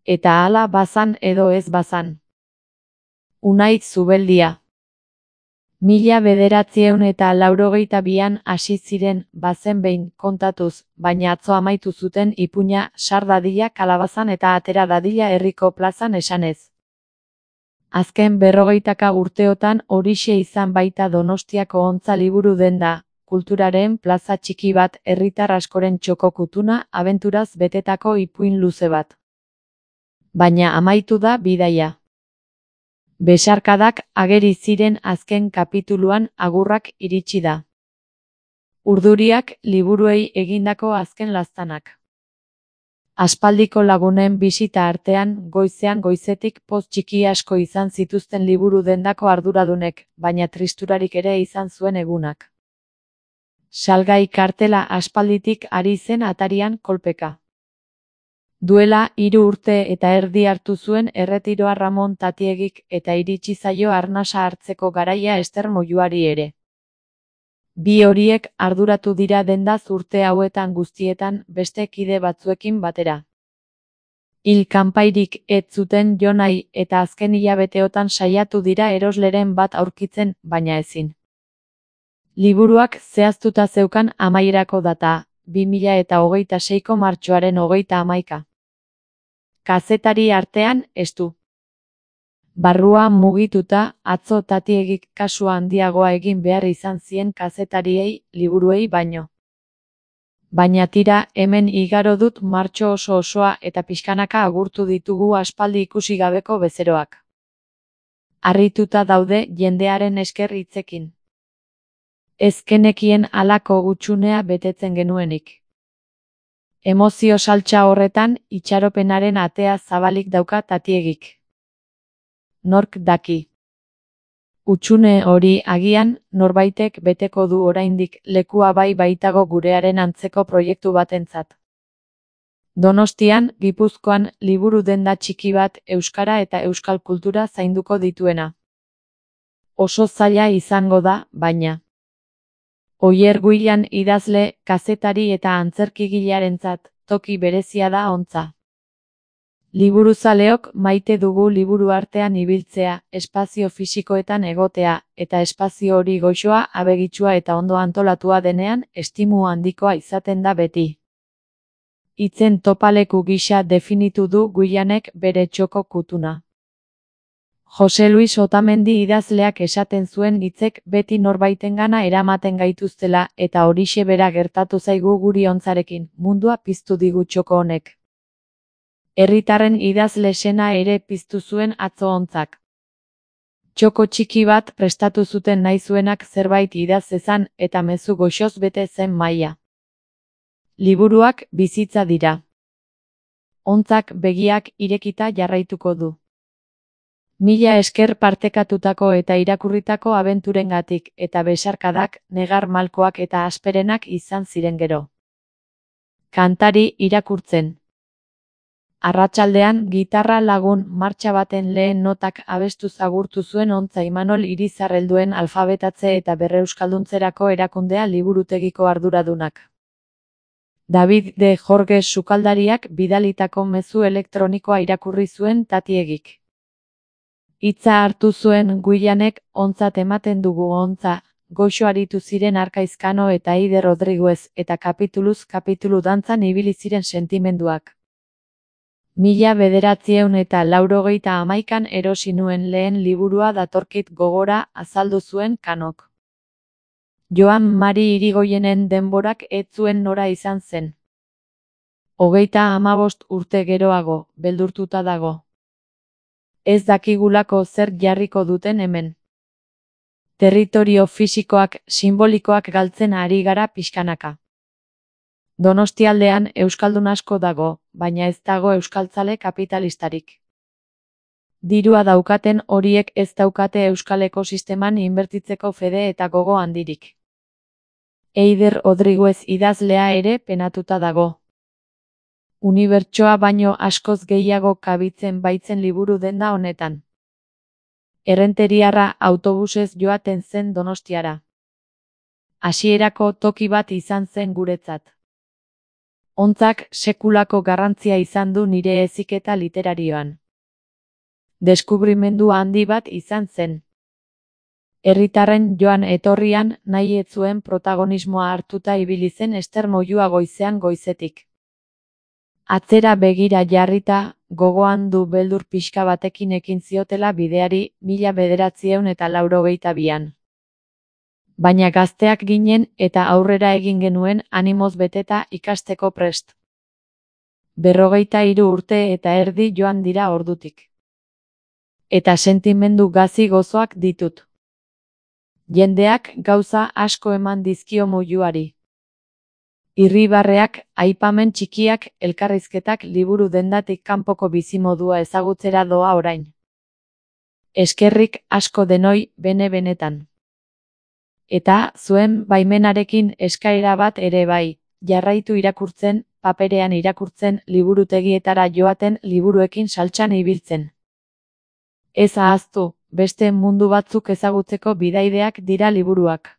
eta hala bazan edo ez bazan. Unai Zubeldia. 1982an hasi ziren, bazen behin, kontatuz, baina atzo amaitu zuten ipuina, sar dadila kalabazan eta atera dadila herriko plazan esanez. Azken 40 urteotan horixe izan baita Donostiako Ontza liburu denda, kulturaren plaza txiki bat, herritar askoren txoko kutuna, abenturaz betetako ipuin luze bat. Baina amaitu da bidaia. Besarkadak ageri ziren azken kapituluan, agurrak iritsi da. Urduriak liburuei egindako azken laztanak. Aspaldiko lagunen bisita artean, goizean goizetik poz txiki asko izan zituzten liburu dendako arduradunek, baina tristurarik ere izan zuen egunak. Salgai kartela aspalditik ari zen atarian kolpeka. Duela 3 urte eta erdi hartu zuen erretiroa Ramon Tatiegik eta iritsi zaio arnasa hartzeko garaia Ester Moyuari ere. Bi horiek arduratu dira dendaz urte hauetan guztietan beste kide batzuekin batera. Hil kanpairik ez zuten jo nahi eta azken hilabeteotan saiatu dira erosleren bat aurkitzen, baina ezin. Liburuak zehaztuta zeukan amaierako data, 2026ko martxoaren 31. Kazetari artean, estu. Barrua mugituta, atzo Tatiegik kasu handiagoa egin behar izan zien kazetariei, liburuei baino. Baina tira, hemen igaro dut martxo oso osoa eta pixkanaka agurtu ditugu aspaldi ikusi gabeko bezeroak. Harrituta daude jendearen esker hitzekin. Ez genekien halako gutxunea betetzen genuenik. Emozio saltsa horretan, itxaropenaren atea zabalik dauka Tatiegik. Nork daki. Hutsune hori agian, norbaitek beteko du oraindik, lekua bai baitago gurearen antzeko proiektu batentzat. Donostian, Gipuzkoan, liburu denda txiki bat, euskara eta euskal kultura zainduko dituena. Oso zaila izango da, baina. Oier Guilan idazle, kazetari eta antzerkigilearentzat, toki berezia da Ontza. Liburuzaleok maite dugu liburu artean ibiltzea, espazio fisikoetan egotea, eta espazio hori goxoa, abegitsua eta ondo antolatua denean, estimu handikoa izaten da beti. Hitzen topaleku gisa definitu du Guilanek bere txoko kutuna. Jose Luis Otamendi idazleak esaten zuen hitzek beti norbaitengana eramaten gaituztela eta horixe bera gertatu zaigu guri Ontzarekin, mundua piztu digu txoko honek. Herritarren idazle sena ere piztu zuen atzo Ontzak. Txoko txiki bat prestatu zuten nahi zuenak zerbait idaz zezan eta mezu goxoz bete zen maila. Liburuak bizitza dira. Ontzak begiak irekita jarraituko du. Mila esker partekatutako eta irakurritako abenturengatik eta besarkadak, negar malkoak eta asperenak izan ziren gero. Kantari irakurtzen. Arratsaldean gitarra lagun martxa baten lehen notak abestuz agurtu zuen Ontza Imanol Irizarrelduen alfabetatze eta berreuskalduntzerako erakundea liburutegiko arduradunak. David de Jorges sukaldariak bidalitako mezu elektronikoa irakurri zuen Tatiegik. Hitza hartu zuen Guilanek, ontzat ematen dugu Ontza, goxo aritu ziren Arkaizkano eta Eider Rodriguez eta kapituluz kapitulu dantzan ibili ziren sentimenduak. 1991an erosi nuen lehen liburua datorkit gogora, azaldu zuen Kanok. Joan Mari Irigoyenen denborak ez zuen nora izan zen. 35 urte geroago, beldurtuta dago. Ez dakigulako zer jarriko duten hemen. Territorio fisikoak, simbolikoak galtzen ari gara pixkanaka. Donostialdean euskaldun asko dago, baina ez dago euskaltzale kapitalistarik. Dirua daukaten horiek ez daukate euskal ekosisteman inbertitzeko fede eta gogo handirik. Eider Rodriguez idazlea ere penatuta dago. Unibertsoa baino askoz gehiago kabitzen baitzen liburu denda honetan. Errenteriarra autobusez joaten zen Donostiara. Hasierako toki bat izan zen guretzat. Hontzak sekulako garrantzia izan du nire heziketa literarioan. Deskubrimendu handi bat izan zen. Herritarren joan etorrian nahi ez zuen protagonismoa hartuta ibili zen Ester Moyua goizean goizetik. Atzera begira jarrita, gogoan du beldur pixka batekin ekin ziotela bideari 1982an. Baina gazteak ginen eta aurrera egin genuen animoz beteta ikasteko prest. 43 urte eta erdi joan dira ordutik. Eta sentimendu gazi gozoak ditut. Jendeak gauza asko eman dizkio Moyuari. Irribarreak, aipamen txikiak, elkarrizketak liburu dendatik kanpoko bizimodua ezagutzera doa orain. Eskerrik asko denoi bene-benetan. Eta, zuen baimenarekin eskaera bat ere bai, jarraitu irakurtzen, paperean irakurtzen, liburutegietara joaten liburuekin saltsan ibiltzen. Ez ahaztu, beste mundu batzuk ezagutzeko bidaideak dira liburuak.